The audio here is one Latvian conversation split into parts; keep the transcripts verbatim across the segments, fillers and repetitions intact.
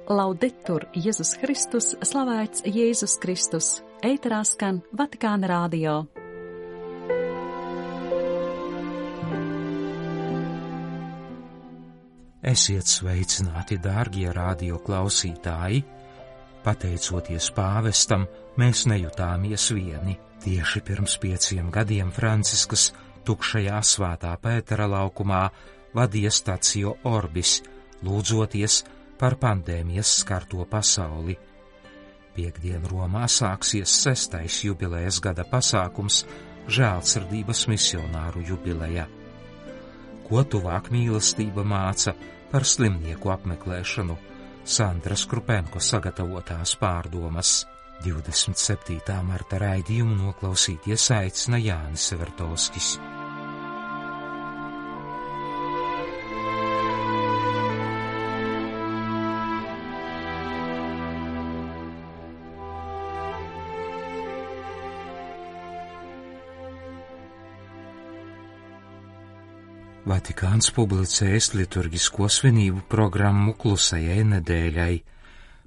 Laudetur Jēzus Kristus, slavēts Jēzus Kristus, ēterā skan Vatikāna radio. Esiet sveicināti, dārgie radio klausītāji! Pateicoties pāvestam, mēs nejutāmies vieni. Tieši pirms pieciem gadiem Francisks tukšajā Svētā Pētera laukumā vadīja Stacio Orbis, lūdzoties par pandēmijas skarto pasauli. Piektdien Romā sāksies sestais jubilejas gada pasākums Žēlsirdības misionāru jubileja. Ko tuvāk mīlestība māca par slimnieku apmeklēšanu? Sandras Krupenko sagatavotās pārdomas. divdesmit septītā marta raidījumu noklausīties aicina Jānis Vertovskis. Vatikāns publicējas liturgisko svinību programmu klusajai nedēļai.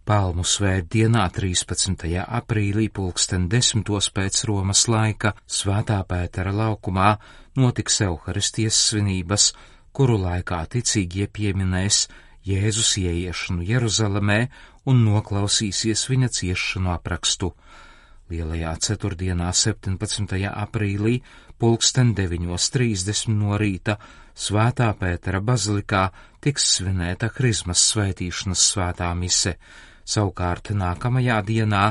Palmu svētdienā trīspadsmitajā aprīlī pulksten desmitos pēc Romas laika Svētā Pētera laukumā notiks Euharistijas svinības, kuru laikā ticīgie pieminēs Jēzus ieiešanu Jeruzalemē un noklausīsies viņa ciešanu aprakstu. Lielajā ceturtdienā septiņpadsmitajā aprīlī pulksten deviņos trīsdesmit no rīta Svētā Pētera bazilikā tiks svinēta Krizmas svētīšanas svētā mise. Savukārt nākamajā dienā,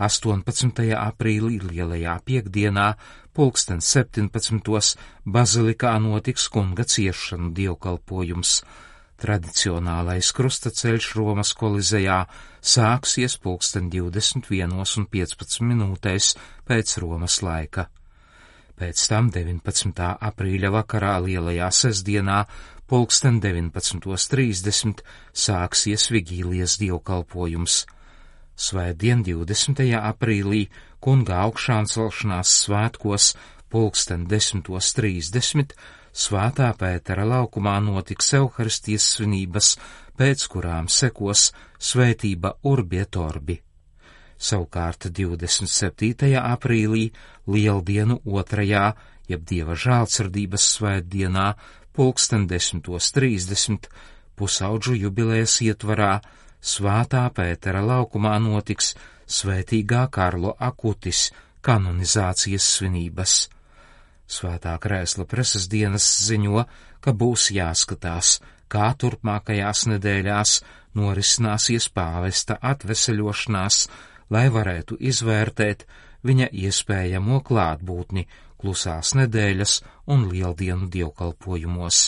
astoņpadsmitajā aprīlī lielajā piekdienā, pulksten septiņpadsmitos bazilikā notiks kunga ciešanu dievkalpojums. Tradicionālais krustaceļš Romas kolizejā sāksies pulksten divdesmit vienos un piecpadsmit minūtēs pēc Romas laika. Pēc tam deviņpadsmitā aprīļa vakarā lielajā sestdienā pulksten deviņpadsmitos trīsdesmit sāksies vigīlijas dievkalpojums. Svētdien divdesmitajā aprīlī kunga augšāncelšanās svētkos pulksten desmitos trīsdesmit Svētā Pētera laukumā notiks Euharistijas svinības, pēc kurām sekos svētība Urbi et Orbi. Savukārt divdesmit septītajā aprīlī lieldienu otrajā, jeb Dieva žēlsirdības svētdienā, pulksten desmitos trīsdesmit pusaudžu jubilejas ietvarā Svētā Pētera laukumā notiks svētīgā Karlo Akutis kanonizācijas svinības. Svētā Krēsla preses dienas ziņo, ka būs jāskatās, kā turpmākajās nedēļās norisināsies pāvesta atveseļošanās, lai varētu izvērtēt viņa iespējamo klātbūtni klusās nedēļas un lieldienu dievkalpojumos.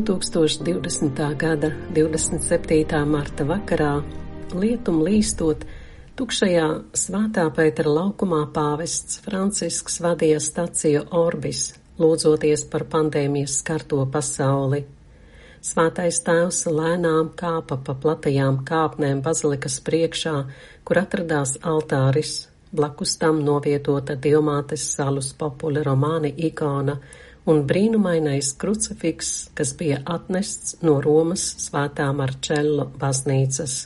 divtūkstoš divdesmitā gada divdesmit septītā marta vakarā, lietum līstot, tukšajā Svētā Pētera laukumā pāvests Francisks vadīja Stacio Orbis, lūdzoties par pandēmijas skarto pasauli. Svētais tēvs lēnām kāpa pa platajām kāpnēm bazilikas priekšā, kur atradās altāris, blakus tam novietota Dievmātes Salus Populi Romani ikona un brīnumainais krucifiks, kas bija atnests no Romas Svētā Marčello baznīcas.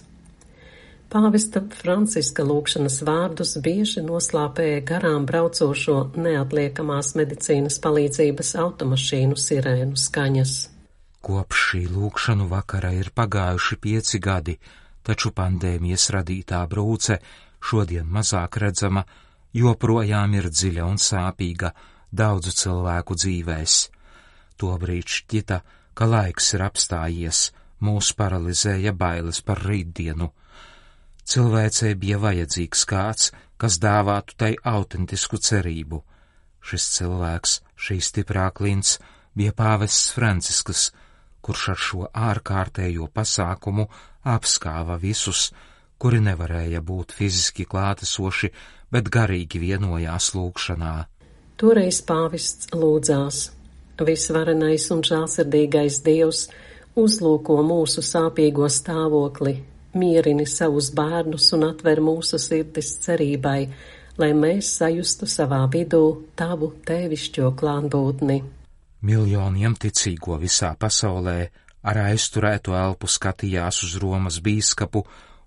Pāvesta Franciska lūgšanas vārdus bieži noslāpēja garām braucošo neatliekamās medicīnas palīdzības automašīnu sirēnu skaņas. Kopš šī lūgšanu vakara ir pagājuši pieci gadi, taču pandēmijas radītā brūce, šodien mazāk redzama, joprojām ir dziļa un sāpīga daudzu cilvēku dzīvēs. Tobrīd šķita, ka laiks ir apstājies, mūs paralizēja bailes par rītdienu. Cilvēcei bija vajadzīgs kāds, kas dāvātu tai autentisku cerību. Šis cilvēks, šī stiprā klints, bija pāvests Francisks, kurš ar šo ārkārtējo pasākumu apskāva visus, kuri nevarēja būt fiziski klātesoši, bet garīgi vienojās lūgšanā. Toreiz pāvests lūdzās: Visvarenais un žēlsirdīgais Dievs uzlūko mūsu sāpīgo stāvokli, mierini savus bērnus un atver mūsu sirdis cerībai, lai mēs sajustu savā vidū tavu tēvišķo klātbūtni. Miljoniem ticīgo visā pasaulē ar aizturētu elpu skatījās uz Romas bīskapu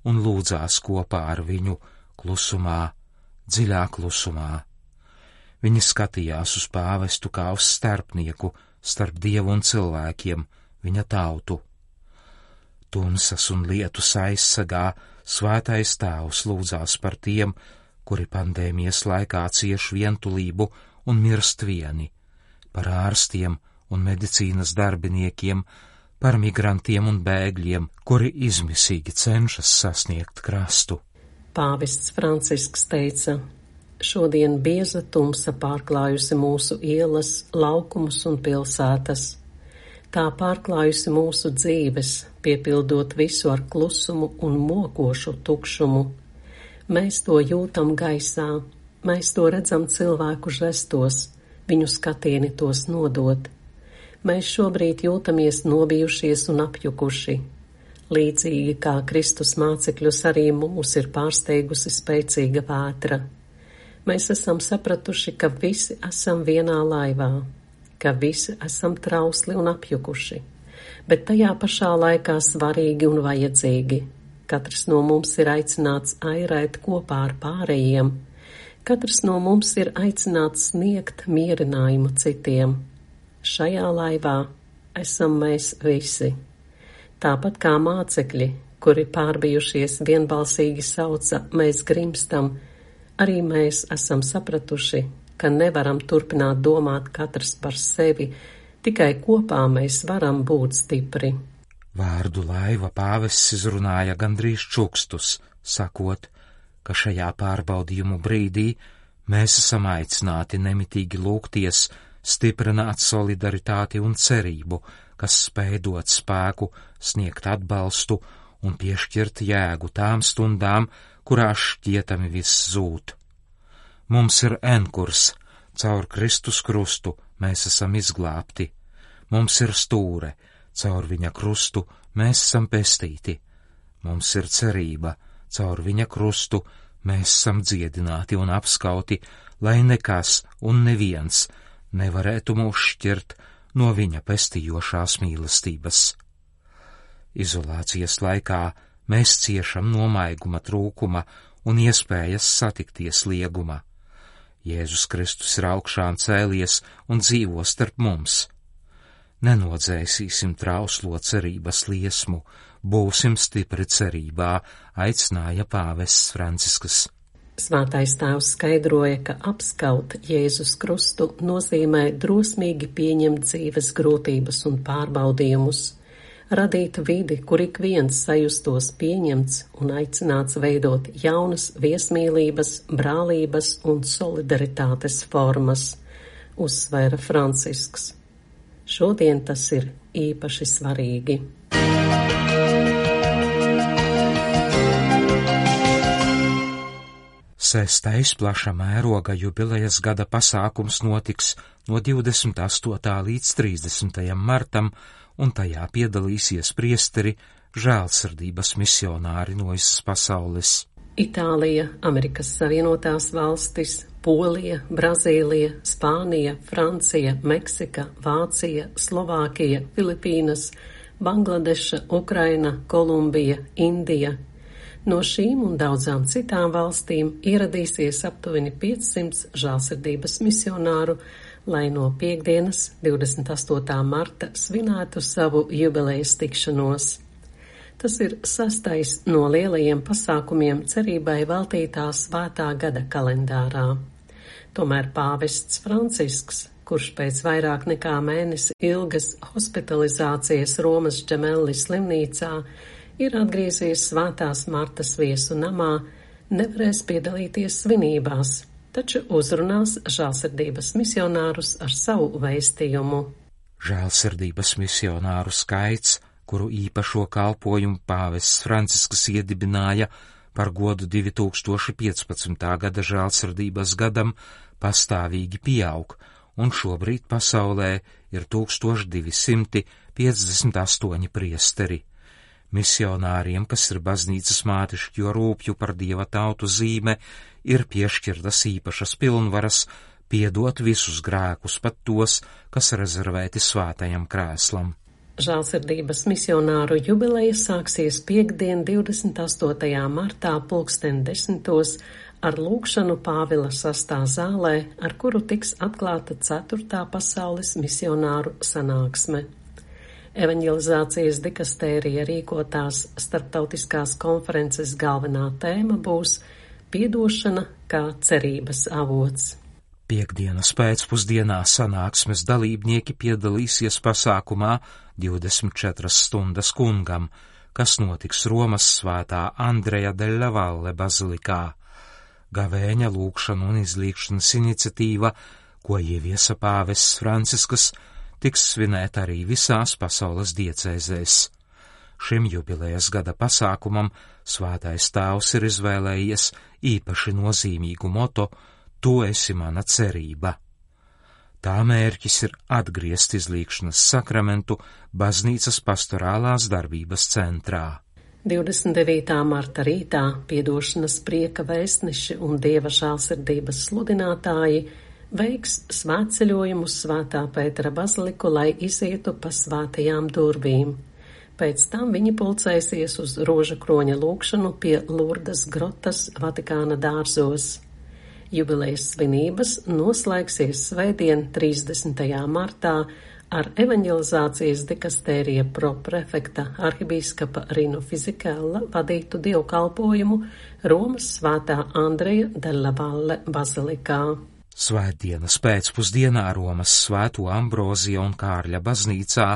un lūdzās kopā ar viņu klusumā, dziļā klusumā. Viņi skatījās uz pāvestu kā uz starpnieku starp Dievu un cilvēkiem, viņa tautu. Tumsas un lietus aizsargā svētais tēvs lūdzās par tiem, kuri pandēmijas laikā cieš vientulību un mirst vieni, par ārstiem un medicīnas darbiniekiem, par migrantiem un bēgļiem, kuri izmisīgi cenšas sasniegt krastu. Pāvests Francisks teica: šodien bieza tumsa pārklājusi mūsu ielas, laukumus un pilsētas. Tā pārklājusi mūsu dzīves, piepildot visu ar klusumu un mokošu tukšumu. Mēs to jūtam gaisā, mēs to redzam cilvēku žestos, viņu skatieni tos nodot. Mēs šobrīd jūtamies nobijušies un apjukuši. Līdzīgi kā Kristus mācekļus arī mūs ir pārsteigusi spēcīga vētra. Mēs esam sapratuši, ka visi esam vienā laivā, ka visi esam trausli un apjukuši, bet tajā pašā laikā svarīgi un vajadzīgi. Katrs no mums ir aicināts airēt kopā ar pārējiem. Katrs no mums ir aicināts sniegt mierinājumu citiem. Šajā laivā esam mēs visi. Tāpat kā mācekļi, kuri pārbijušies vienbalsīgi sauca: mēs grimstam, arī mēs esam sapratuši, ka nevaram turpināt domāt katrs par sevi, tikai kopā mēs varam būt stipri. Vārdu laiva pāvests izrunāja gandrīz čukstus, sakot, ka šajā pārbaudījumu brīdī mēs esam aicināti nemitīgi lūgties, stiprināt solidaritāti un cerību, kas spēj dot spēku, sniegt atbalstu un piešķirt jēgu tām stundām, kurās šķietami viss zūd. Mums ir enkurs, caur Kristus krustu mēs esam izglābti. Mums ir stūre, caur viņa krustu mēs esam pestīti. Mums ir cerība, caur viņa krustu mēs esam dziedināti un apskauti, lai nekas un neviens nevarētu mūs šķirt no viņa pestījošās mīlestības. Izolācijas laikā mēs ciešam no maiguma trūkuma un iespējas satikties lieguma. Jēzus Kristus ir augšām cēlies un dzīvo starp mums. Nenodzēsīsim trauslo cerības liesmu, būsim stipri cerībā, aicināja pāvests Francisks. Svētais tēvs skaidroja, ka apskaut Jēzus Krustu nozīmē drosmīgi pieņemt dzīves grūtības un pārbaudījumus, radīt vidi, kur ik viens sajustos pieņemts un aicināts veidot jaunas viesmīlības, brālības un solidaritātes formas, uzsvēra Francisks. Šodien tas ir īpaši svarīgi. Sestais plaša mēroga jubilejas gada pasākums notiks no divdesmit astotā līdz trīsdesmitajam martam, un tajā piedalīsies priesteri, žēlsirdības misionāri no visas pasaules. Itālija, Amerikas Savienotās valstis, Polija, Brazīlija, Spānija, Francija, Meksika, Vācija, Slovākija, Filipīnas, Bangladeša, Ukraina, Kolumbija, Indija. No šīm un daudzām citām valstīm ieradīsies aptuveni piecsimt žēlsirdības misionāru, lai no piektdienas, divdesmit astotā marta, svinētu savu jubilejas tikšanos. Tas ir sastais no lielajiem pasākumiem cerībai veltītā svētā gada kalendārā. Tomēr pāvests Francisks, kurš pēc vairāk nekā mēnesi ilgas hospitalizācijas Romas Džemelli slimnīcā ir atgriezies Svētās Martas viesu namā, nevarēs piedalīties svinībās, taču uzrunās žēlsirdības misionārus ar savu vēstījumu. Žēlsirdības misionāru skaits, kuru īpašo kalpojumu pāvests Francisks iedibināja par godu divi tūkstoši piecpadsmitā gada žēlsirdības gadam, pastāvīgi pieaug un šobrīd pasaulē ir tūkstoš divi simti piecdesmit astoņi priesteri. Misionāriem, kas ir baznīcas mātišķo rūpju par dieva tautu zīme, ir piešķirtas īpašas pilnvaras piedot visus grēkus, pat tos, kas rezervēti svētajam krēslam. Žēlsirdības misionāru jubileja sāksies piektdien, divdesmit astotajā martā pulksten desmitos ar lūgšanu Pāvila sastā zālē, ar kuru tiks atklāta ceturtā pasaules misionāru sanāksme. Evaņģelizācijas dikastērija rīkotās starptautiskās konferences galvenā tēma būs piedošana kā cerības avots. Piektdienas pēcpusdienā sanāksmes dalībnieki piedalīsies pasākumā divdesmit četras stundas kungam, kas notiks Romas svētā Andreja della Valle bazilikā. Gavēņa lūgšana un izlīgšanas iniciatīva, ko ieviesa pāvests Francisks, tiks svinēta arī visās pasaules diecēzēs. Šim jubilejas gada pasākumam svētais tēvs ir izvēlējies īpaši nozīmīgu moto "Tu esi mana cerība". Tā mērķis ir atgriezt izlīgšanas sakramentu baznīcas pastorālās darbības centrā. divdesmit devītā marta rītā piedošanas prieka vēstneši un dieva žēlsirdības sludinātāji veiks svētceļojumu uz Svētā Pētera baziliku, lai izietu pa svētajām durvīm. Pēc tam viņi pulcēsies uz roža kroņa lūgšanu pie Lurdas grotas Vatikāna dārzos. Jubilejas svinības noslēgsies svētdien, trīsdesmitajā martā, ar evaņģelizācijas dikastērija proprefekta arhibīskapa Rino Fizikella vadītu dievkalpojumu Romas svētā Andreja della Valle bazilikā. Svētdienas pēcpusdienā Romas svēto Ambrozija un Kārļa baznīcā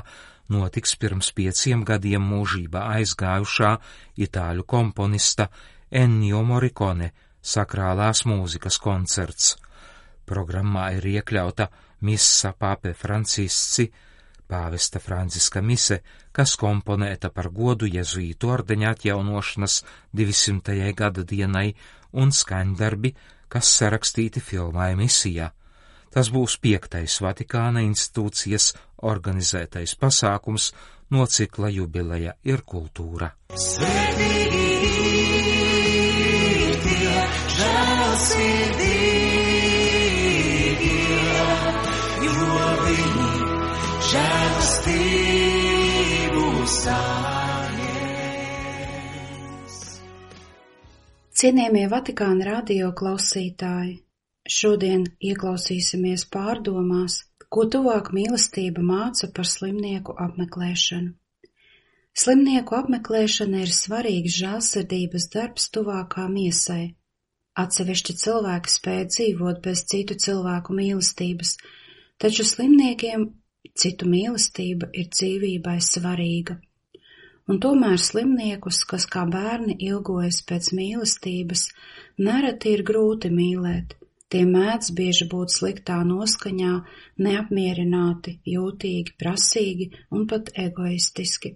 notiks pirms pieciem gadiem mūžībā aizgājušā itāļu komponista Ennio Morricone sakrālās mūzikas koncerts. Programmā ir iekļauta Missa Pape Francisci, pāvesta Franciska mise, kas komponēta par godu jezuītu ordeņa atjaunošanas divsimtajai gada dienai, un skaņdarbi, kas sarakstīti filmai Misija. Tas būs piektais Vatikāna institūcijas organizētais pasākums no cikla Jubileja ir kultūra. Svētīgi ir tie žēlsirdīgie, jo viņi žēlastību saņems. Cienījamie Vatikāna radio klausītāji, šodien ieklausīsimies pārdomās, ko tuvāk mīlestība māca par slimnieku apmeklēšanu. Slimnieku apmeklēšana ir svarīgs žēlsirdības darbs tuvākā miesai. Atsevišķi cilvēki spēj dzīvot bez citu cilvēku mīlestības, taču slimniekiem citu mīlestība ir dzīvībai svarīga. Un tomēr slimniekus, kas kā bērni ilgojas pēc mīlestības, nereti ir grūti mīlēt. Tie mēdz bieži būt sliktā noskaņā, neapmierināti, jūtīgi, prasīgi un pat egoistiski.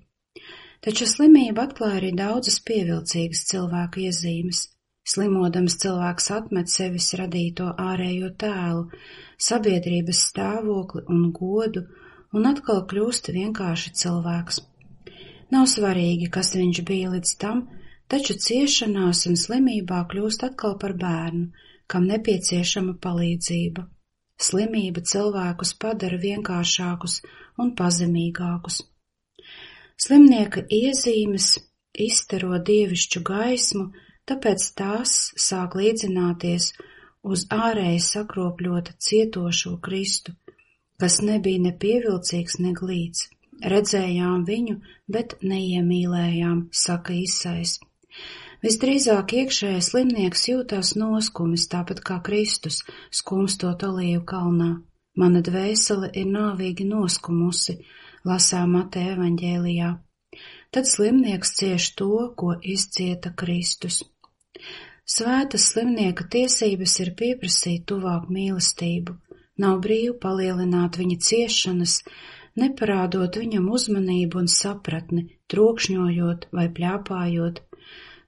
Taču slimība atklāja arī daudzas pievilcīgas cilvēku iezīmes. Slimodams cilvēks atmet sevis radīto ārējo tēlu, sabiedrības stāvokli un godu un atkal kļūst vienkārši cilvēks. Nav svarīgi, kas viņš bija līdz tam, taču ciešanās un slimībā kļūst atkal par bērnu, kam nepieciešama palīdzība. Slimība cilvēkus padara vienkāršākus un pazemīgākus. Slimnieka iezīmes izstaro dievišķu gaismu, tāpēc tās sāk līdzināties uz ārēji sakropļota cietošo Kristu, kas nebija ne pievilcīgs, ne glīts. Redzējām viņu, bet neiemīlējām, saka Isais. Visdrīzāk iekšējais slimnieks jūtās noskumis, tāpat kā Kristus, skumstot olīvu kalnā. Mana dvēsele ir nāvīgi noskumusi, lasām Mateja evaņģēlijā. Tad slimnieks cieš to, ko izcieta Kristus. Svētas slimnieka tiesības ir pieprasīt tuvāk mīlestību, nav brīvi palielināt viņa ciešanas, neparādot viņam uzmanību un sapratni, trokšņojot vai pļāpājot.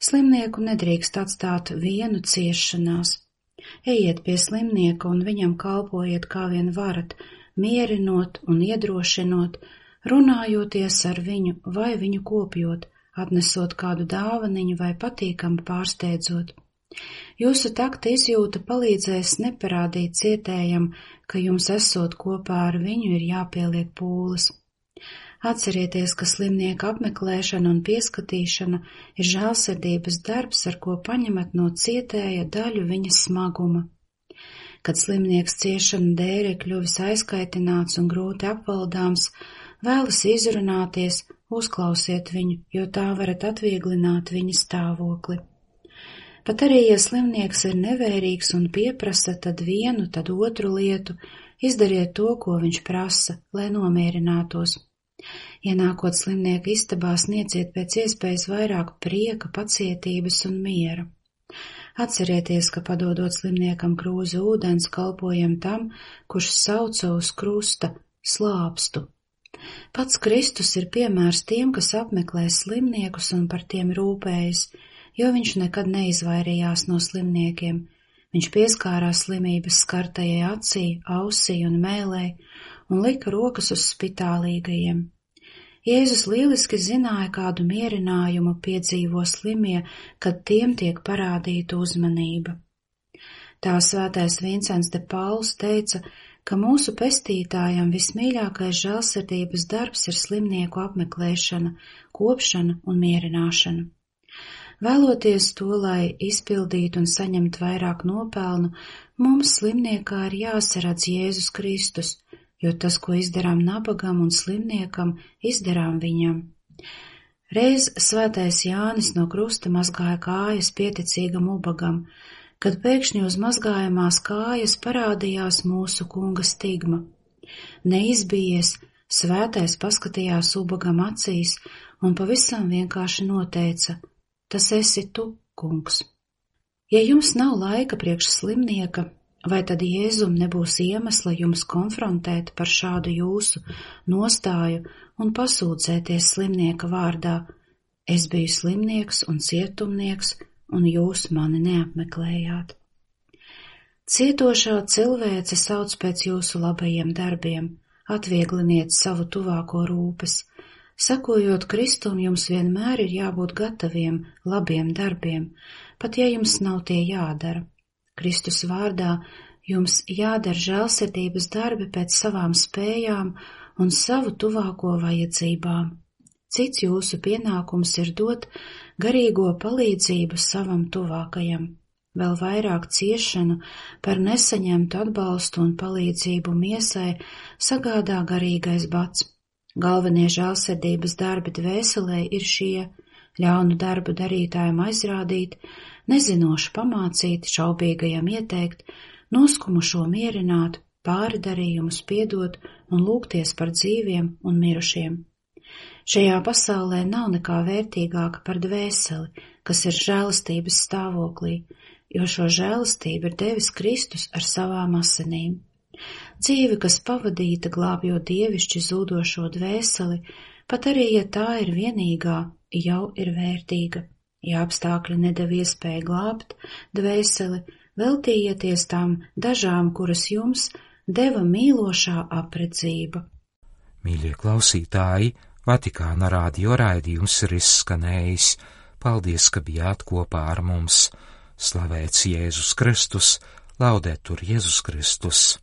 Slimnieku nedrīkst atstāt vienu ciešanās. Ejiet pie slimnieka un viņam kalpojiet kā vien varat, mierinot un iedrošinot, runājoties ar viņu vai viņu kopjot, atnesot kādu dāvaniņu vai patīkamu pārsteidzot. Jūsu takta izjūta palīdzēs neparādīt cietējam, ka jums esot kopā ar viņu ir jāpieliek pūles. Atcerieties, ka slimnieka apmeklēšana un pieskatīšana ir žēlsirdības darbs, ar ko paņemat no cietēja daļu viņa smaguma. Kad slimnieks ciešanu dēļ ir kļuvis aizkaitināts un grūti apvaldāms, vēlas izrunāties, uzklausiet viņu, jo tā varat atvieglināt viņa stāvokli. Pat arī, ja slimnieks ir nevērīgs un pieprasa tad vienu, tad otru lietu, izdariet to, ko viņš prasa, lai nomierinātos. Ienākot slimnieka istabā, sniedziet pēc iespējas vairāk prieka, pacietības un miera. Atcerieties, ka padodot slimniekam krūzi ūdens, kalpojam tam, kurš sauca uz krusta slāpstu. Pats Kristus ir piemērs tiem, kas apmeklē slimniekus un par tiem rūpējas, jo viņš nekad neizvairījās no slimniekiem. Viņš pieskārās slimības skartajai acī, ausī un mēlē un lika rokas uz spitālīgajiem. Jēzus lieliski zināja, kādu mierinājumu piedzīvo slimie, kad tiem tiek parādīta uzmanība. Tā svētais Vincents de Pauls teica, ka mūsu pestītājam vismīļākais žēlsirdības darbs ir slimnieku apmeklēšana, kopšana un mierināšana. Vēloties to, lai izpildītu un saņemt vairāk nopelnu, mums slimniekā ir jāsaredz Jēzus Kristus, jo tas, ko izdarām nabagam un slimniekam, izdarām viņam. Reiz svētais Jānis no krusta mazgāja kājas pieticīgam ubagam, kad pēkšņi uz mazgājamās kājas parādījās mūsu kunga stigma. Neizbijies, svētais paskatījās ubagam acīs un pavisam vienkārši noteica: tas esi tu, kungs. Ja jums nav laika priekš slimnieka, vai tad Jēzum nebūs iemesla jums konfrontēt par šādu jūsu nostāju un pasūdzēties slimnieka vārdā: es biju slimnieks un cietumnieks, un jūs mani neapmeklējāt. Cietošā cilvēce sauc pēc jūsu labajiem darbiem, atviegliniet savu tuvāko rūpes. Sakojot Kristum, jums vienmēr ir jābūt gataviem labiem darbiem, pat ja jums nav tie jādara. Kristus vārdā jums jādara žēlsirdības darbi pēc savām spējām un savu tuvāko vajadzībām. Cits jūsu pienākums ir dot garīgo palīdzību savam tuvākajam. Vēl vairāk ciešanu par nesaņemtu atbalstu un palīdzību miesai sagādā garīgais bats. Galvenie žēlsirdības darbi dvēselē ir šie: ļaunu darbu darītājiem aizrādīt, nezinošu pamācīt, šaubīgajam ieteikt, noskumušo mierināt, pāri darījumus piedot un lūgties par dzīviem un mirušiem. Šajā pasaulē nav nekā vērtīgāka par dvēseli, kas ir žēlastības stāvoklī, jo šo žēlastību ir devis Kristus ar savām asinīm. Dzīve, kas pavadīta glābjot dievišķi zūdošo dvēseli, pat arī, ja tā ir vienīgā, jau ir vērtīga. Ja apstākļi nedeva iespēju glābt dvēseli, veltījieties tām dažām, kuras jums deva mīlošā apredzība. Mīļie klausītāji, Vatikāna radio raidījums ir izskanējis. Paldies, ka bijāt kopā ar mums. Slavēts Jēzus Kristus, laudetur Jēzus Kristus.